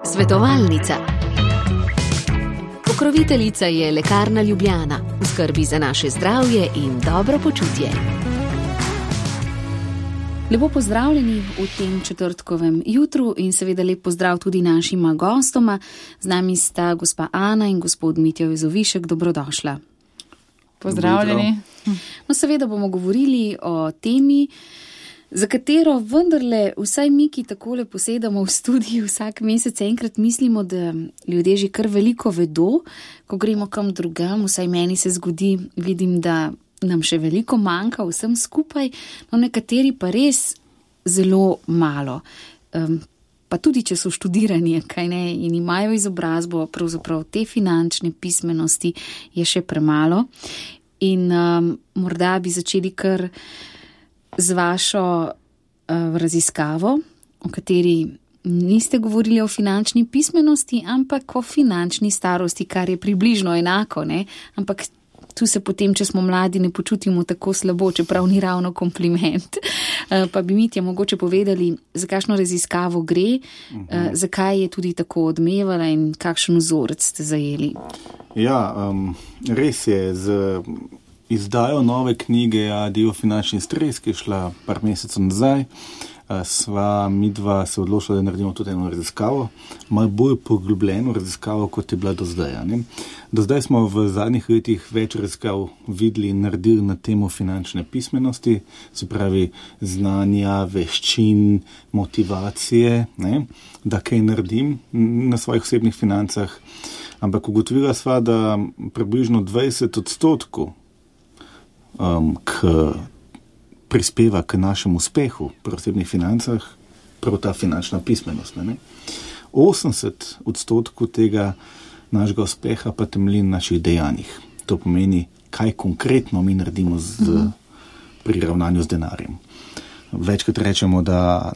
Svetovalnica. Pokroviteljica je Lekarna Ljubljana, v skrbi za naše zdravje in dobro počutje. Lepo pozdravljeni v tem četrtkovem jutru in seveda lep pozdrav tudi našima gostoma. Z nami sta gospa Ana in gospod Mitja Vezovišek. Dobrodošla. Pozdravljeni. No, seveda bomo govorili o temi, za katero vendarle vsaj mi, ki takole posedamo v studiu vsak mesec enkrat, mislimo, da ljudje že kar veliko vedo, ko gremo kam drugam, vsaj meni se zgodi, vidim, da nam še veliko manjka vsem skupaj, no nekateri pa res zelo malo. Pa tudi, če so študirani, kaj ne, in imajo izobrazbo, pravzaprav te finančne pismenosti je še premalo. In morda bi začeli kar z vašo raziskavo, o kateri niste govorili o finančni pismenosti, ampak o finančni starosti, kar je približno enako, ne? Ampak tu se potem, če smo mladi, ne počutimo tako slabo, čeprav ni ravno kompliment. Pa bi Mitja mogoče povedali, za kakšno raziskavo gre, zakaj je tudi tako odmevala in kakšen vzorec ste zajeli. Ja, res je, z izdajo nove knjige Adijo finančni stres, ki je šla par mesecev nazaj, sva midva se odločila, da naredimo tudi eno raziskavo, malo bolj poglobljeno raziskavo, kot je bila do zdaj. Ne? Do zdaj smo v zadnjih letih več raziskav videli in naredili na temo finančne pismenosti, se pravi znanja, veščin, motivacije, ne? Da kaj naredim na svojih osebnih financah, ampak ugotovila sva, da približno 20% prispeva k našemu uspehu pri osebnih financah, prav ta finančna pismenost. Ne? 80% tega našega uspeha pa temelji na naših dejanjih. To pomeni, kaj konkretno mi naredimo pri ravnanju z denarjem. Večkrat rečemo, da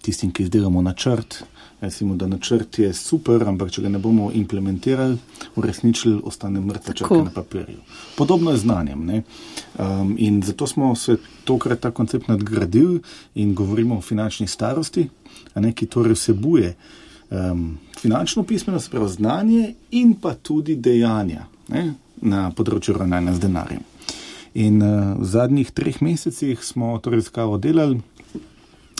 tistim, ki izdelamo načrt, recimo, da načrt je super, ampak če ga ne bomo implementirali, uresničili, ostane mrtva črka na papirju. Podobno je znanjem. Ne? In zato smo se tokrat ta koncept nadgradili in govorimo o finančni starosti, ki torej vsebuje finančno pismenost, prav znanje in pa tudi dejanja, ne? Na področju ravnanja z denarjem. In v zadnjih 3 mesecih smo to raziskavo delali.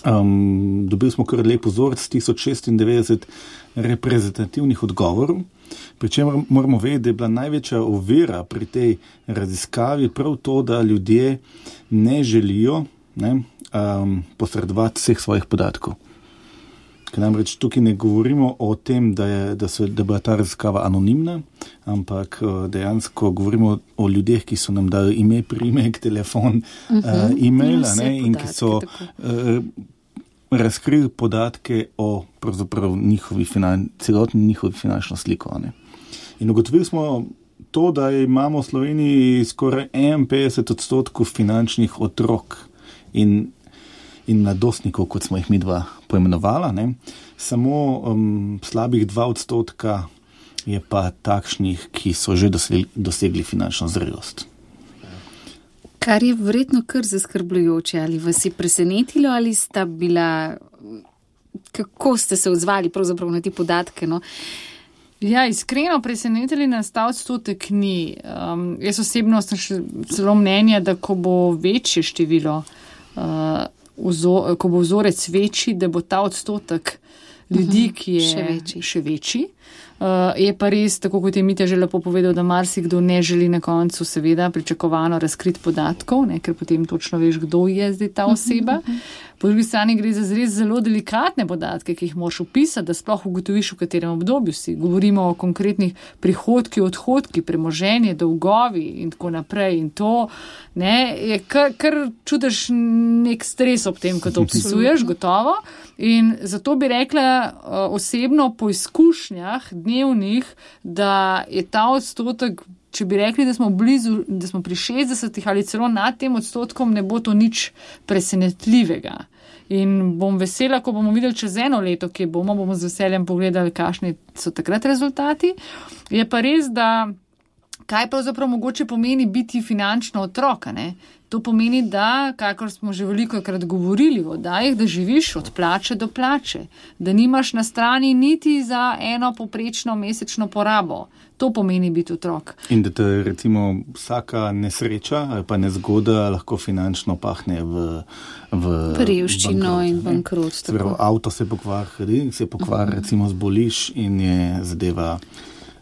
Dobili smo kar lep vzorec 1096 reprezentativnih odgovorov, pri čemer moramo vedeti, da je bila največja ovira pri tej raziskavi prav to, da ljudje ne želijo posredovati vseh svojih podatkov. Ker namreč tukaj ne govorimo o tem, da je bila ta raziskava anonimna, ampak dejansko govorimo o ljudeh, ki so nam dali ime, priimek, telefon, e-mail, in ki so razkrili podatke o pravzaprav celotni njihovi finančno sliko. Ne. In ugotovili smo to, da imamo v Sloveniji skoraj 51% finančnih otrok in mladostnikov, kot smo jih midva poimenovala, ne. Samo slabih 2% je pa takšnih, ki so že dosegli finančno zrelost. Kar je verjetno kar zaskrbljujoče, ali vas je presenetilo, ali sta bila, kako ste se odzvali pravzaprav na te podatke, no? Ja, iskreno presenetili nas ta odstotek ni. Jaz osebno sem še celo mnenja, da ko bo večje število, ko bo vzorec večji, da bo ta odstotek ljudi, ki je še večji. Je pa res, tako kot je Mitja že lepo povedal, da marsikdo ne želi na koncu seveda pričakovano razkriti podatkov, ne, ker potem točno veš, kdo je zdaj ta oseba. Po drugi strani gre za res zelo delikatne podatke, ki jih moraš opisati, da sploh ugotoviš, v katerem obdobju si. Govorimo o konkretnih prihodki, odhodki, premoženje, dolgovi in tako naprej. In to je kar čutiš nek stres ob tem, ko to opisuješ, gotovo. In zato bi rekla osebno po izkušnjah dnevnih, da je ta odstotek, če bi rekli, da smo blizu, da smo pri 60 ali celo nad tem odstotkom, ne bo to nič presenetljivega. In bom vesela, ko bomo videli čez 1 leto, kje bomo z veseljem pogledali, kakšni so takrat rezultati. Je pa res, da kaj pravzaprav mogoče pomeni biti finančno otroka, ne? To pomeni, da, kakor smo že velikokrat govorili v oddajah, da živiš od plače do plače, da nimaš na strani niti za eno poprečno mesečno porabo. To pomeni biti otrok. In da te recimo vsaka nesreča ali pa nezgoda lahko finančno pahne v revščino in bankrot. Avto se pokvari, recimo zboliš in je zadeva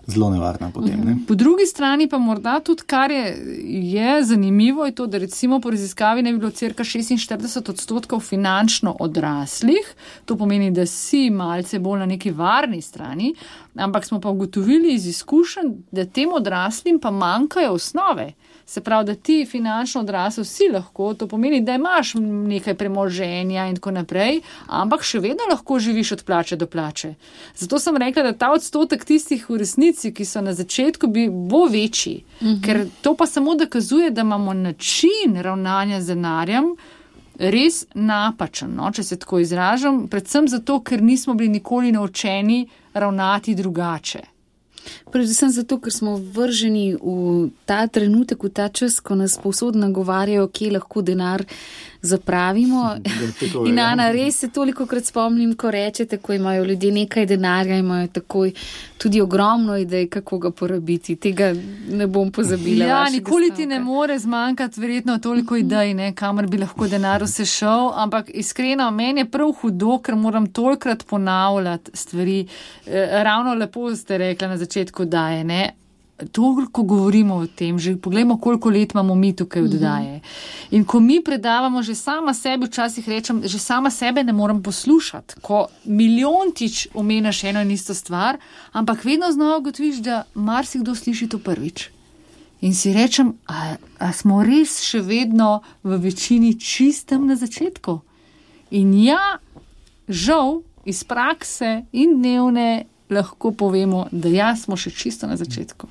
zelo nevarna potem. Ne? Po drugi strani pa morda tudi, kar je zanimivo, je to, da recimo po raziskavi ne bi bilo cirka 46% finančno odraslih. To pomeni, da si malce bolj na neki varni strani, ampak smo pa ugotovili iz izkušenj, da tem odraslim pa manjkajo osnove. Se pravi, da ti finančno odrasel si lahko, to pomeni, da imaš nekaj premoženja in tako naprej, ampak še vedno lahko živiš od plače do plače. Zato sem rekla, da ta odstotek tistih v resnici, ki so na začetku, bo večji. Ker to pa samo dokazuje, da imamo način ravnanja z denarjem res napačen, no, če se tako izražam, predvsem zato, ker nismo bili nikoli naučeni ravnati drugače. Predvsem zato, ker smo vrženi v ta trenutek, v ta čas, ko nas povsod nagovarjajo, kje lahko denar zapravimo. In Ana, res se tolikokrat spomnim, ko rečete, ko imajo ljudje nekaj denarja, imajo takoj tudi ogromno idej, kako ga porabiti. Tega ne bom pozabila. Ja, nikoli ti ne more zmanjkati verjetno toliko idej, ne, kamor bi lahko denar vse šel, ampak iskreno, meni je prav hudo, ker moram tolikrat ponavljati stvari. Ravno lepo ste rekla na začetku, da je, ne. Toliko govorimo o tem, že poglejmo, koliko let imamo mi tukaj oddaje. In ko mi predavamo, že sama sebi včasih rečem, že sama sebe ne morem poslušati, ko milijontič omenjaš eno in isto stvar, ampak vedno znova ugotoviš, da marsikdo sliši to prvič. In si rečem, a smo res še vedno v večini čistem na začetku? In ja, žal, iz prakse in dnevne lahko povemo, da ja, smo še čisto na začetku.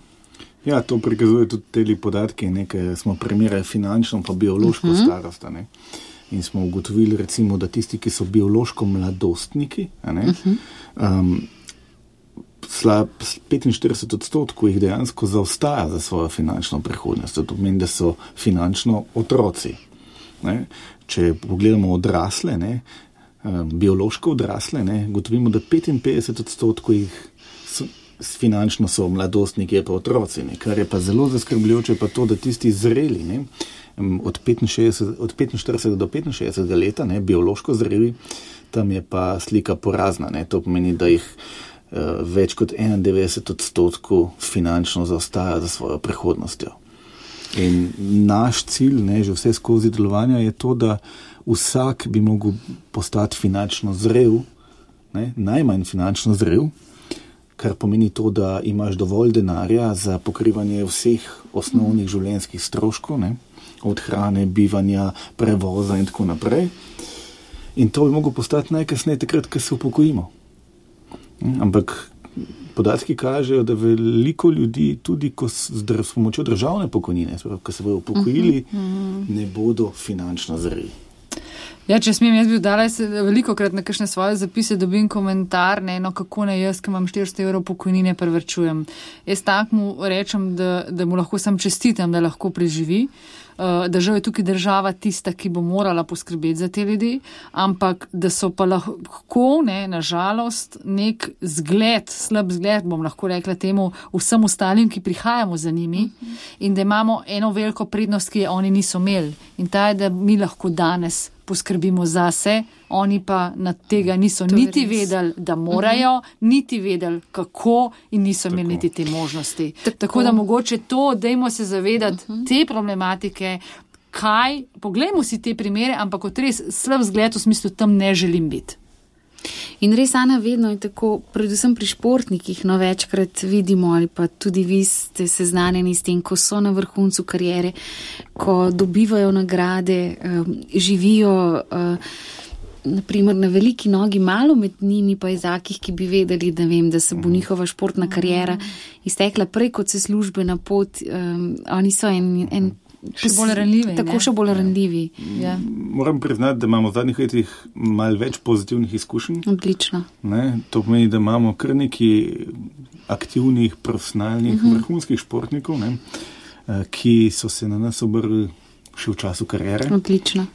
Ja, to prikazuje tudi te podatke, nekaj smo primerjali finančno pa biološko starost. Ne? In smo ugotovili recimo, da tisti, ki so biološko mladostniki, 45% jih dejansko zaostaja za svojo finančno prihodnost. To pomeni, da so finančno otroci. Ne? Če pogledamo odrasle, ne? Biološko odrasle, ugotovimo, da 55% jih finančno so mladostniki, je pa otroci. Ne? Kar je pa zelo zaskrbljujoče, pa to, da tisti zreli, ne? Od 45 do 65 leta, ne? Biološko zreli, tam je pa slika porazna. Ne? To pomeni, da jih več kot 91% finančno zaostaja za svojo prihodnostjo. In naš cilj, ne, že vse skozi delovanja, je to, da vsak bi mogel postati finančno zrel, ne, najmanj finančno zrel, kar pomeni to, da imaš dovolj denarja za pokrivanje vseh osnovnih življenjskih stroškov, ne, od hrane, bivanja, prevoza in tako naprej. In to bi mogel postati najkasneje takrat, ko se upokojimo. Ampak podatki kažejo, da veliko ljudi, tudi s pomočjo državne pokojnine, ko se bodo upokojili, ne bodo finančno zreli. Ja, če smem, jaz bi dala velikokrat na kakšne svoje zapise, dobim komentar, kako naj jaz, ki imam 400 evrov pokojnine, prevrčujem. Jaz tak mu rečem, da mu lahko sam čestitam, da lahko preživi, da žal je tukaj država tista, ki bo morala poskrbeti za te ljudi, ampak da so pa lahko, na žalost, nek zgled, slab zgled, bom lahko rekla temu, vsem ostalim, ki prihajamo za njimi, in da imamo eno veliko prednost, ki je oni niso imeli. In ta je, da mi lahko danes poskrbimo zase, oni pa nad tega niso niti vedeli, da morajo, niti vedeli, kako, in niso imeli niti te možnosti. Tako da mogoče to, dajmo se zavedati te problematike, poglejmo si te primere, ampak kot res slab zgled v smislu, tam ne želim biti. In res, Ana, vedno je tako, predvsem pri športnikih, večkrat vidimo, ali pa tudi vi ste seznanjeni s tem, ko so na vrhuncu kariere, ko dobivajo nagrade, živijo naprimer na veliki nogi, malo med njimi pa je takih, ki bi vedeli, da se bo njihova športna kariera iztekla prej, kot se službena pot. Oni so en še bolj ranljivi. Tako še bolj ranljivi. Ja. Moram priznati, da imamo v zadnjih letih malo več pozitivnih izkušenj. Odlično. To pomeni, da imamo kar nekaj aktivnih, profesionalnih, vrhunskih športnikov, ki so se na nas obrli še v času kariere. Odlično.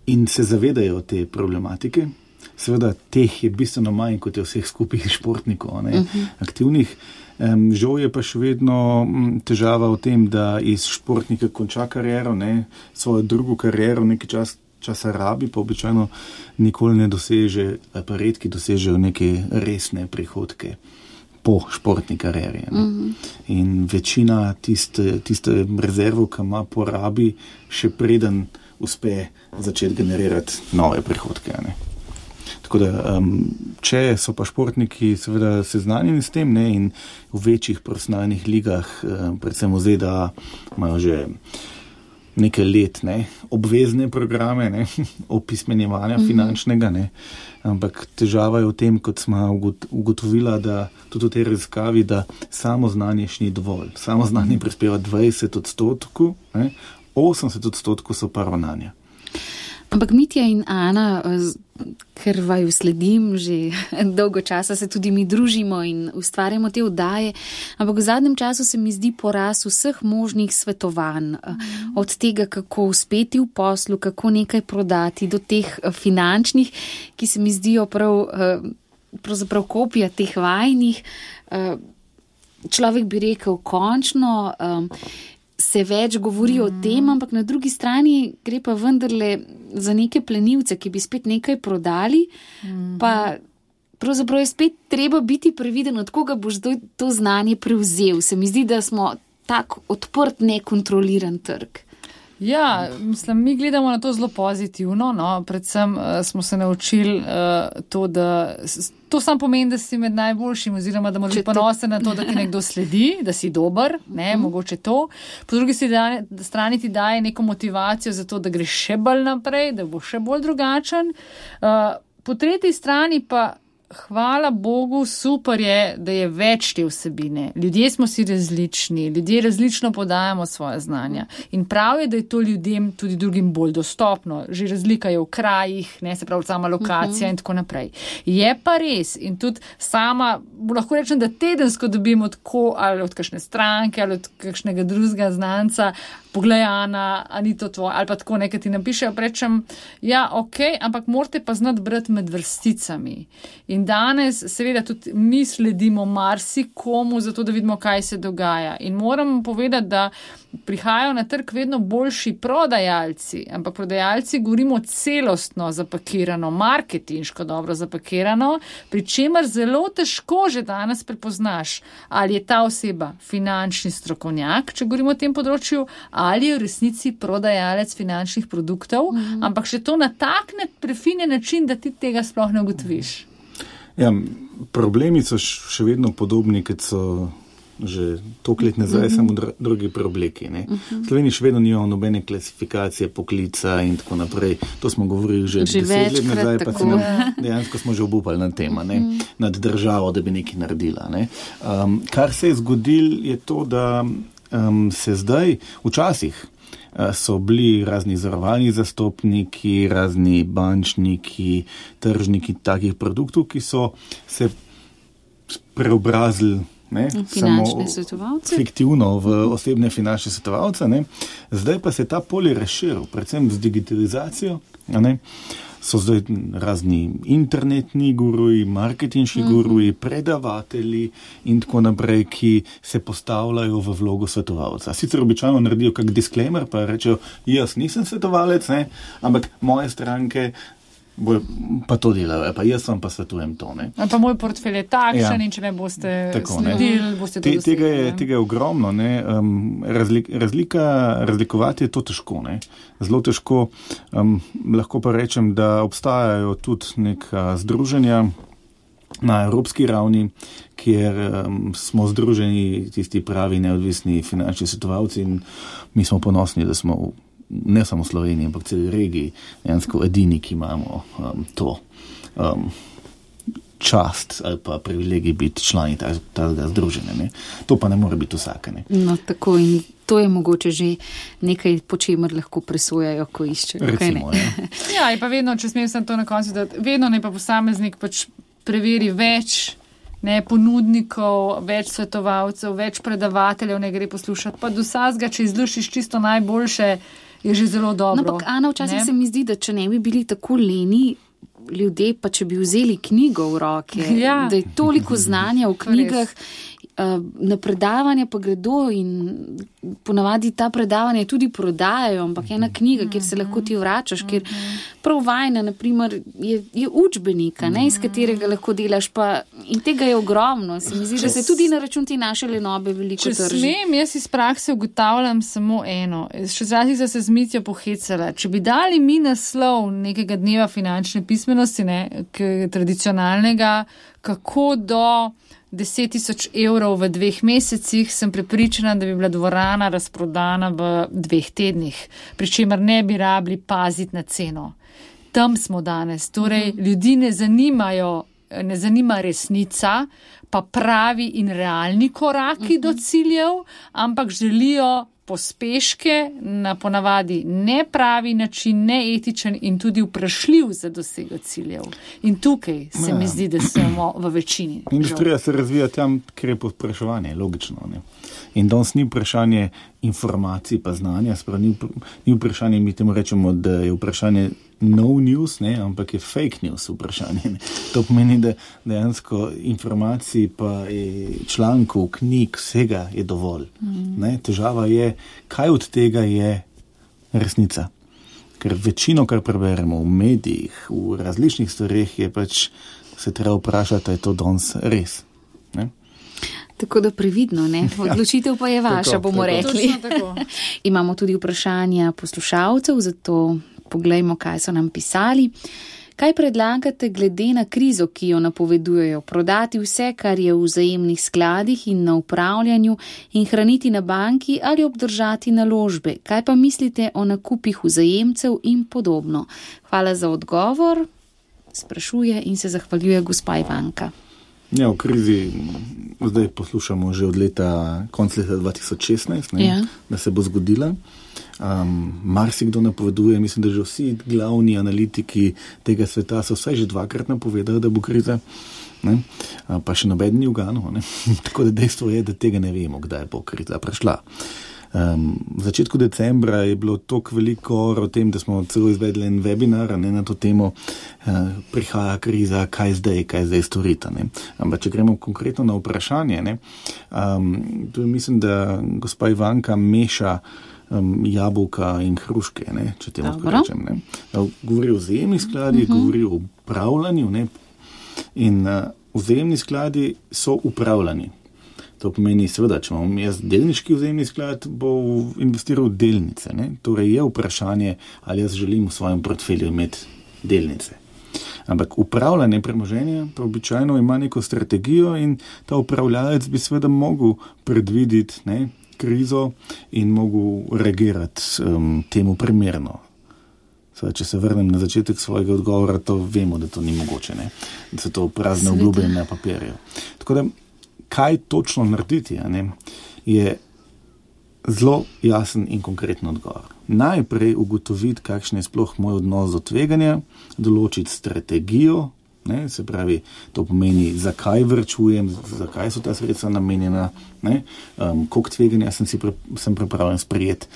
In se zavedajo te problematike. Seveda, teh je bistveno manj, kot je vseh skupih športnikov, aktivnih. Žal je pa še vedno težava v tem, da iz športnika konča kariero, svojo drugo kariero nekaj časa rabi, pa običajno nikoli ne doseže, pa redki dosežejo neke resne prihodke po športni karieri. In večina tiste rezervo, ki ima, porabi še preden uspe začeti generirati nove prihodke. Tako da, če so pa športniki seveda seznanjeni s tem, in v večjih profesionalnih ligah, predvsem v ZDA, imajo že nekaj let, obvezne programe, opismenjevanja finančnega, ampak težava je v tem, kot smo ugotovila, da tudi v tej raziskavi, da samo znanje še ni dovolj. Samo znanje prispeva 20%, 80% so pa ravnanja. Ampak Mitja in Ana, ker vaju sledim, že dolgo časa se tudi mi družimo in ustvarjamo te oddaje, ampak v zadnjem času se mi zdi porast vseh možnih svetovanj, od tega, kako uspeti v poslu, kako nekaj prodati, do teh finančnih, ki se mi zdijo pravzaprav kopija teh vajnih. Človek bi rekel, končno se več govori o tem, ampak na drugi strani gre pa vendarle za neke plenilce, ki bi spet nekaj prodali, pa pravzaprav je spet treba biti previden, od koga boš to znanje prevzel. Se mi zdi, da smo tak odprt, nekontroliran trg. Ja, mislim, mi gledamo na to zelo pozitivno, predvsem smo se naučili to, da to samo pomeni, da si med najboljšim oziroma da moraš biti ponosen na to, da ti nekdo sledi, da si dober, mogoče to. Po drugi strani ti daje neko motivacijo za to, da greš še bolj naprej, da boš še bolj drugačen. Po tretji strani pa hvala Bogu, super je, da je več te vsebine. Ljudje smo si različni, ljudje različno podajamo svoje znanja. In prav je, da je to ljudem tudi drugim bolj dostopno. Že razlika je v krajih, se pravi sama lokacija in tako naprej. Je pa res in tudi sama, lahko rečem, da tedensko dobim ali od kakšne stranke ali od kakšnega drugega znanca, poglej, Ana, a ni to tvoje, ali pa tako nekaj ti napišejo, rečem, ja, okej, ampak morate pa znati brati med vrsticami. In danes seveda tudi mi sledimo marsikomu, zato da vidimo, kaj se dogaja. In moram povedati, da prihajajo na trg vedno boljši prodajalci, ampak prodajalci govorimo celostno zapakirano, marketinško dobro zapakirano, pri čemer zelo težko že danes prepoznaš, ali je ta oseba finančni strokovnjak, če govorimo o tem področju, ali je v resnici prodajalec finančnih produktov, ampak še to na tak prefinjen način, da ti tega sploh ne ugotoviš. Ja, problemi so še vedno podobni, kot so že toliko let nazaj, samo drugi preobleki. V Sloveniji še vedno nimamo nobene klasifikacije poklica in tako naprej. To smo govorili že 10 let nazaj, pa dejansko smo že obupali nad tema, nad državo, da bi nekaj naredila. Kar se je zgodilo, je to, da se zdaj, včasih so bili razni zavarovalni zastopniki, razni bančniki, tržniki takih produktov, ki so se preobrazili finančne svetovalce. Fiktivno v osebne finančne svetovalce. Zdaj pa se ta polje razširil, predvsem z digitalizacijo. So zdaj razni internetni guruji, marketinški guruji, predavatelji in tako naprej, ki se postavljajo v vlogo svetovalca. Sicer običajno naredijo kak disclaimer, pa rečejo, jaz nisem svetovalec, ampak moje stranke pa to delajo, pa jaz vam pa svetujem to. Pa moj portfelj je takšen in če me boste sledili, boste to dosegli. Tega je ogromno. Razlikovati je to težko. Zelo težko. Lahko pa rečem, da obstajajo tudi neka združenja na evropski ravni, kjer smo združeni tisti pravi neodvisni finančni svetovalci in mi smo ponosni, da smo ne samo v Sloveniji, ampak celi regiji, dejansko edini, ki imamo to čast ali pa privilegij biti člani tega združenja. Ne? To pa ne more biti vsake. Ne? No, tako in to je mogoče že nekaj, po čemer lahko presojajo, ko iščejo. Recimo, ja, in pa vedno, če smem sem to na koncu, da vedno ne pa posameznik pač preveri več ponudnikov, več svetovalcev, več predavateljev ne gre poslušati, pa do vsega, če izlušiš čisto najboljše, je že zelo dobro. No, ampak Ana, včasih se mi zdi, da če ne bi bili tako leni ljudje, pa če bi vzeli knjigo v roke, da je toliko znanja v knjigah, na predavanja pa gredo in ponavadi ta predavanja tudi prodajajo, ampak ena knjiga, kjer se lahko ti vračaš, kjer prav vajna, naprimer, je učbenika, iz katerega lahko delaš, pa in tega je ogromno. Se mi zdi, da se tudi na račun te naše lenobe veliko trži. Če smem, jaz iz prakse ugotavljam samo eno. Še zrazih se z Mitjo pohecala. Če bi dali mi naslov nekega dneva finančne pismenosti, tradicionalnega, kako do 10.000 evrov v 2 mesecih, sem prepričana, da bi bila dvorana razprodana v 2 tednih, pri čemer ne bi rabili paziti na ceno. Tam smo danes. Torej, ljudi ne zanima resnica, pa pravi in realni koraki do ciljev, ampak želijo pospeške na ponavadi nepravi način, neetičen in tudi vprašljiv za dosego ciljev. In tukaj se mi zdi, da smo v večini. Industrija se razvija tam, kjer je povpraševanje, logično. Ne? In danes ni vprašanje informacij pa znanja, ni vprašanje, mi temu rečemo, da je vprašanje no news, ampak je fake news vprašanje. Ne? To pomeni, da dejansko informacij pa člankov, knjig, vsega je dovolj. Težava je, kaj od tega je resnica. Ker večino, kar preberemo v medijih, v različnih stvareh, je pač se treba vprašati, je to danes res. Ne? Tako da previdno, odločitev pa je vaša, bomo rekli. Imamo tudi vprašanja poslušalcev, zato poglejmo, kaj so nam pisali. Kaj predlagate glede na krizo, ki jo napovedujejo? Prodati vse, kar je v vzajemnih skladih in na upravljanju in hraniti na banki ali obdržati naložbe? Kaj pa mislite o nakupih vzajemcev in podobno? Hvala za odgovor, sprašuje in se zahvaljuje gospa Ivanka. Ja, v krizi zdaj poslušamo že od konc leta 2016, da se bo zgodila. Marsikdo napoveduje, mislim, da že vsi glavni analitiki tega sveta so vsaj že 2-krat napovedali, da bo kriza, pa še noben ni uganil. Tako da dejstvo je, da tega ne vemo, kdaj bo kriza prišla. V začetku decembra je bilo toliko veliko o tem, da smo celo izvedli en webinar na to temo, prihaja kriza, kaj zdaj storita. Ampak če gremo konkretno na vprašanje, tu mislim, da gospa Ivanka meša jabolka in hruške, če temu rečem. Govori o vzajemnih skladih, govori o upravljanju, in vzajemni skladi so upravljani. To pomeni, seveda, če imam jaz delniški vzajemni sklad, bo investiral v delnice. Torej je vprašanje, ali jaz želim v svojem portfelju imeti delnice. Ampak upravljanje premoženja pa običajno ima neko strategijo in ta upravljalec bi seveda mogel predvideti krizo in mogel reagirati temu primerno. Seveda, če se vrnem na začetek svojega odgovora, to vemo, da to ni mogoče. Da so to prazne obljube na papirju. Tako da kaj točno narediti, je zelo jasen in konkreten odgovor. Najprej ugotoviti, kakšen je sploh moj odnos do tveganja, določiti strategijo, se pravi, to pomeni, zakaj vrčujem, zakaj so ta sredstva namenjena, koliko tveganja sem pripravljen sprejeti.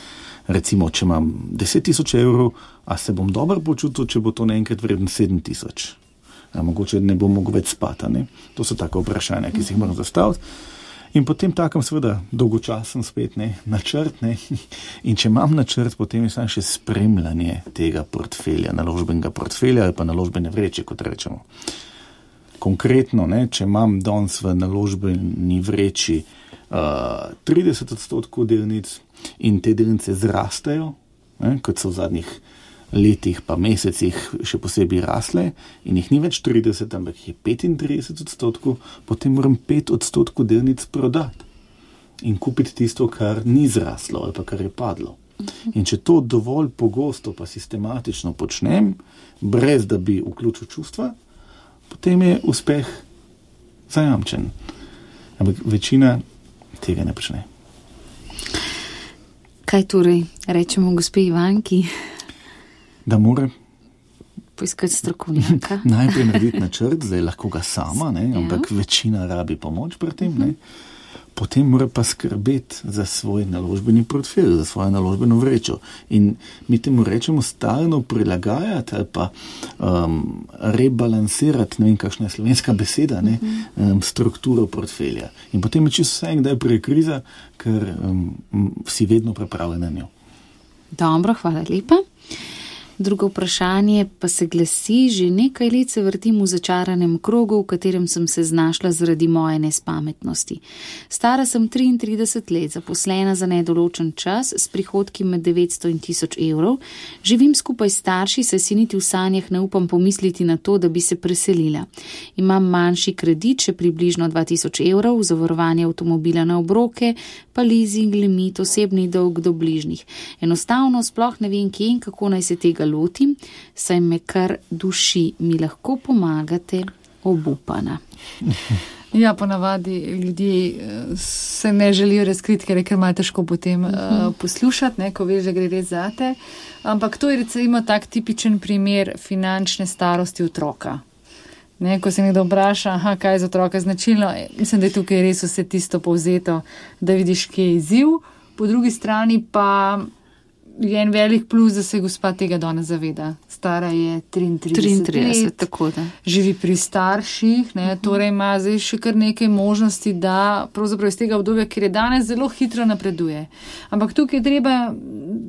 Recimo, če imam 10.000 evrov, a se bom dobro počutil, če bo to naenkrat vreden 7.000. Mogoče ne bo mogel več spati. To so tako vprašanja, ki si jih moram zastaviti. In potem takem seveda dolgočasen spet načrt. In če imam načrt, potem je samo še spremljanje tega portfelja, naložbenega portfelja ali pa naložbene vreče, kot rečemo. Konkretno, če imam danes v naložbeni vreči 30% delnic in te delnice zrastejo, kot so v zadnjih letih pa mesecih še posebej rasle in jih ni več 30, ampak jih je 35%, potem moram 5% delnic prodati in kupiti tisto, kar ni zraslo ali pa kar je padlo. In če to dovolj pogosto pa sistematično počnem, brez da bi vključil čustva, potem je uspeh zajamčen. Ampak večina tega ne počne. Kaj torej rečemo gospe Ivanki? Da mora poiskati strokovnjaka. Najprej narediti načrt, zdaj lahko ga sama, ne, ampak večina rabi pomoč pri tem, ne. Potem mora pa skrbeti za svoj naložbeni portfelj, za svojo naložbeno vrečo. In mi temu rečemo stalno prilagajati ali pa rebalansirati, ne vem, kakšna je slovenska beseda, ne, strukturo portfelja. In potem je čisto vse, kdaj prije kriza, ker si vedno pripravljen na njo. Dobro, hvala lepa. Drugo vprašanje pa se glasi, že nekaj let se vrtim v začaranem krogu, v katerem sem se znašla zaradi moje nespametnosti. Stara sem 33 let, zaposlena za nedoločen čas, s prihodki med 900 in 1000 evrov. Živim skupaj s starši, saj si niti v sanjah ne upam pomisliti na to, da bi se preselila. Imam manjši kredit, še približno 2000 evrov, zavarovanje avtomobila na obroke, pa leasing, limit, osebni dolg do bližnjih. Enostavno sploh ne vem, kje in kako naj se tega lotim, saj me kar duši. Mi lahko pomagate, obupana. Ja, ponavadi ljudje se ne želijo razkriti, ker je kar malo težko potem poslušati, ne, ko veš, da gre res zate. Ampak to je recimo tak tipičen primer finančne starosti otroka. Ne, ko se nekdo vpraša, kaj je za otroka značilno, mislim, da je tukaj res vse tisto povzeto, da vidiš, kje je izziv. Po drugi strani pa je en velik plus, da se gospa tega danes zaveda. Stara je 33 let, tako da. Živi pri starših, ne, torej ima zdaj še kar nekaj možnosti, da pravzaprav iz tega obdobja, ker je danes zelo hitro napreduje. Ampak tukaj je treba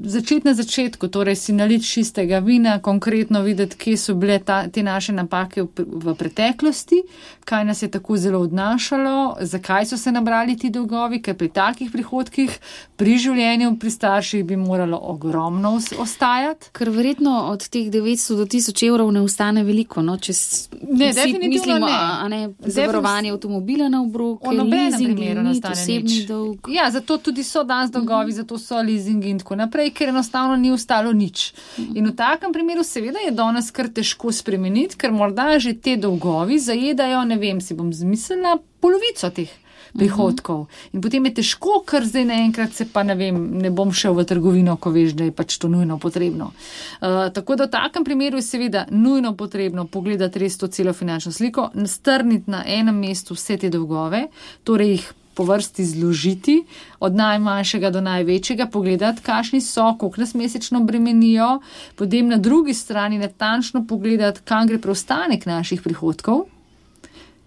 začeti na začetku, torej si naliti čistega vina, konkretno videti, kje so bile te naše napake v preteklosti, kaj nas je tako zelo odnašalo, zakaj so se nabrali ti dolgovi, ker pri takih prihodkih pri življenju pri starših bi moralo ogromno ostajati. Ker verjetno od teh 900 do 1000 evrov ne ostane veliko, no? Če mislimo, zavarovanje avtomobila na obroke, leasing, limit, osebni dolg. Ja, zato tudi so danes dolgovi, zato so leasingi in tako naprej, ker enostavno ni ostalo nič. In v takem primeru seveda je danes kar težko spremeniti, ker morda že te dolgovi zajedajo, ne vem, si bom zmislila, polovico teh prihodkov. In potem je težko, ker zdaj naenkrat se pa ne bom šel v trgovino, ko veš, da je pač to nujno potrebno. Tako da v takem primeru je seveda nujno potrebno pogledati res to celo finančno sliko, strniti na enem mestu vse te dolgove, torej jih po vrsti zložiti, od najmanjšega do največjega, pogledati, kakšni so, koliko nas mesečno bremenijo, potem na drugi strani natančno pogledati, kam gre preostanek naših prihodkov,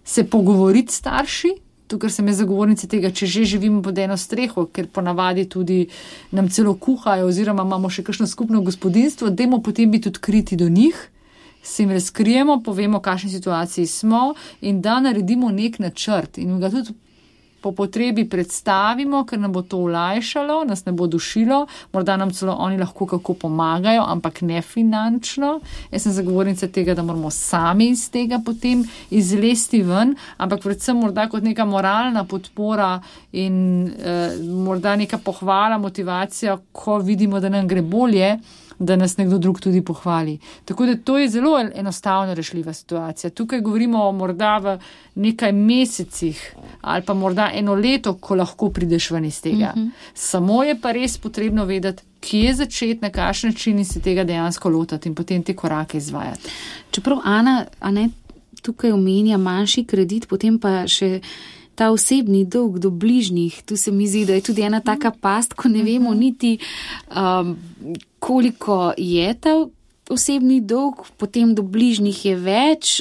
se pogovoriti s starši. Tukaj sem zagovornica tega, če že živimo pod eno streho, ker ponavadi tudi nam celo kuhajo oziroma imamo še kakšno skupno gospodinjstvo, dajmo potem biti odkriti do njih, se jim razkrijemo, povemo, v kakšni situaciji smo in da naredimo nek načrt in ga tudi po potrebi predstavimo, ker nam bo to olajšalo, nas ne bo dušilo, morda nam celo oni lahko kako pomagajo, ampak ne finančno. Jaz sem zagovornica tega, da moramo sami iz tega potem izlesti ven, ampak predvsem morda kot neka moralna podpora in morda neka pohvala, motivacija, ko vidimo, da nam gre bolje, da nas nekdo drug tudi pohvali. Tako da to je zelo enostavno rešljiva situacija. Tukaj govorimo o morda v nekaj mesecih ali pa morda eno leto, ko lahko prideš ven iz tega. Samo je pa res potrebno vedeti, kje začeti, na kakšen način in se tega dejansko lotati in potem te korake izvajati. Čeprav Ana, tukaj omenja manjši kredit, potem pa še ta osebni dolg do bližnjih, tu se mi zdi, da je tudi ena taka past, ko ne vemo niti, koliko je ta osebni dolg, potem do bližnjih je več,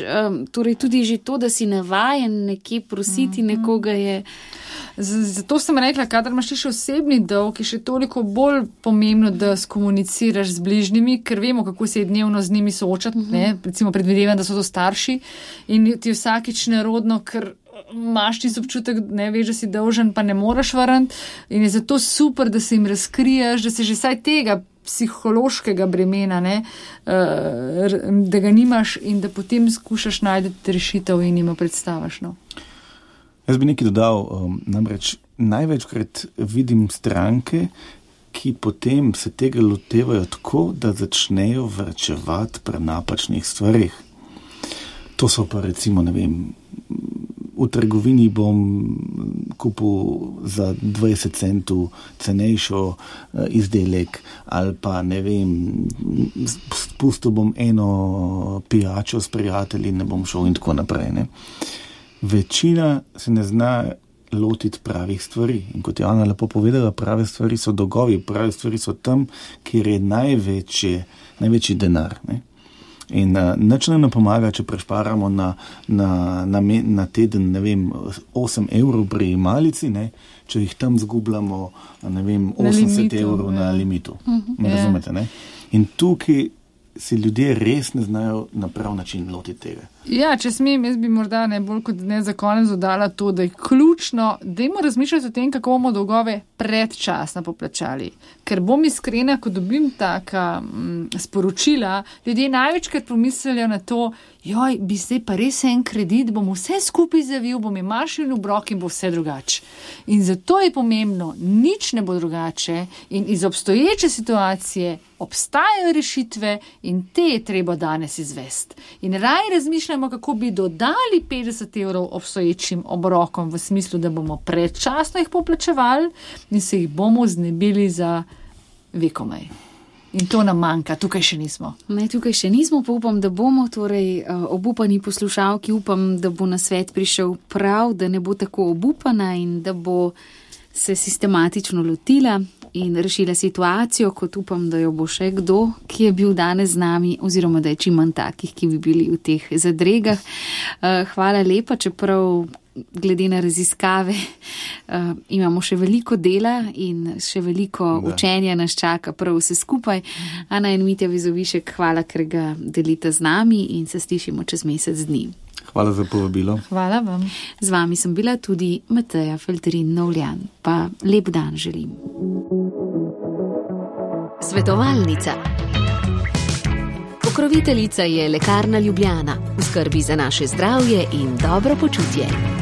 torej tudi že to, da si navajen nekje prositi nekoga je. Zato sem rekla, kadar imaš še osebni dolg, je še toliko bolj pomembno, da skomuniciraš z bližnjimi, ker vemo, kako se je dnevno z njimi soočati, recimo predvidevam, da so to starši in ti vsakič nerodno, ker imaš ti občutek, ne veš, da si dolžen, pa ne moreš vrniti in je zato super, da se jim razkriješ, da se že saj tega psihološkega bremena, da ga nimaš in da potem skušaš najti rešitev in jim predstaviš. No. Jaz bi nekaj dodal, namreč največkrat vidim stranke, ki potem se tega lotevajo tako, da začnejo varčevati pri napačnih stvarih. To so pa recimo, ne vem, v trgovini bom kupil za 20 centov cenejšo izdelek ali pa, ne vem, spustil bom eno pijačo s prijatelji in ne bom šel in tako naprej. Ne. Večina se ne zna lotiti pravih stvari. In kot je Ana lepo povedala, prave stvari so dolgovi, prave stvari so tam, kjer je največji denar. Ne. In nič ne pomaga, če prešparamo na teden, ne vem, 8 evrov pri malici, ne, če jih tam zgubljamo, ne vem, 80 evrov na limitu. Me razumete, ne? In tukaj se ljudje res ne znajo na prav način lotiti tega. Ja, če smem, jaz bi morda najbolj kot ne za konec dodala to, da je ključno, dajmo razmišljati o tem, kako bomo dolgove predčasno poplačali. Ker bom iskrena, ko dobim taka sporočila, ljudje največkrat pomislijo na to, joj, bi zdaj pa res en kredit, bom vse skupaj zavil, bom imel šel v obrok in bo vse drugače. In zato je pomembno, nič ne bo drugače in iz obstoječe situacije obstajajo rešitve in te je treba danes izvesti. In raj razmišljamo, kako bi dodali 50 evrov obstoječim obrokom v smislu, da bomo predčasno jih poplačevali in se jih bomo znebili za vekomaj. In to nam manjka, tukaj še nismo. Ne, tukaj še nismo, pa upam, da bomo, torej obupani poslušalki, upam, da bo na svet prišel prav, da ne bo tako obupana in da bo se sistematično lotila in rešila situacijo, kot upam, da jo bo še kdo, ki je bil danes z nami, oziroma da je čim manj takih, ki bi bili v teh zadregah. Hvala lepa, čeprav glede na raziskave imamo še veliko dela in še veliko učenja nas čaka prav vse skupaj. Ana in Mitja Vizovišek, hvala, ker ga delite z nami in se slišimo čez mesec dni. Hvala za povabilo. Hvala vam. Z vami sem bila tudi Mateja Feltrin-Novljan. Pa lep dan želim. Svetovalnica. Pokroviteljica je Lekarna Ljubljana. V skrbi za naše zdravje in dobro počutje.